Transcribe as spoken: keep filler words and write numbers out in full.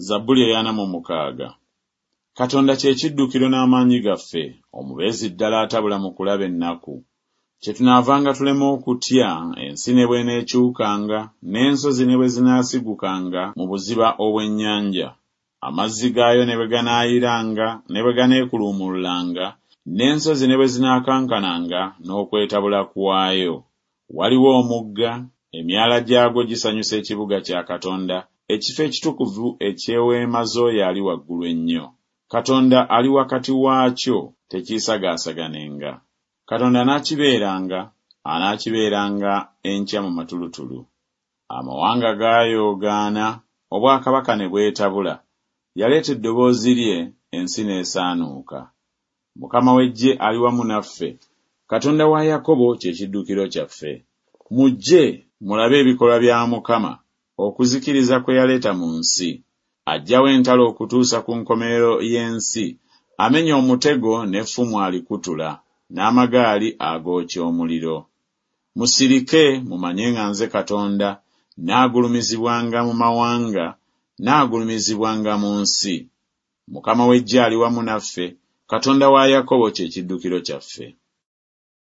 Zabbuli ey'ana mu mukaaga. Katonda kye kiddukiro n'amaanyi gaffe, omubeezi ddala atabula mu kulaba ennaku. Kyetunaavanga tulema okutya, ensi ne bw'eneekyukanga, n'ensozi ne bwe zinaasigukanga mu buziba obw'ennyanja. Amazzi gaayo ne bwe ganaayiranga, ne bwe ganeekuluumululanga, n'ensozi ne bwe zinaakankananga n'okwetabula kwayo. Waliwo omugga, emyala gyagwo gisanyusa ekibuga kya Katonda, ekifo ekitukuvu eky'eweema z'oyo Ali Waggulu Ennyo. Katonda ali wakati waakyo, tekiisagaasaganenga. Katonda anaakibeeranga, anaakibeeranga enkya mu matulutulu. Amawanga gaayoogaana, obwakabaka ne bwetabula. Yaleeta eddoboozi lye, ensi n'esaanuuka. Mukama w'eggye ali wamu naffe, Katonda wa Yakobo kye kiddukiro kyaffe. Mujje mulabe ebikolwa bya Mukama, okuzikiriza kwe yaleeta mu nsi. Aggyawo entalo okutuusa ku nkomerero y'ensi, amenya omutego n'effumu alikutula, n'amagaali agookya omuliro. Musirike mumanye nga nze Katonda, nnaagulumizibwanga mu mawanga, nnaagulumizibwanga mu nsi. Mukama w'eggye ali wamu naffe, Katonda wa Yakobo kye kiddukiro kyaffe.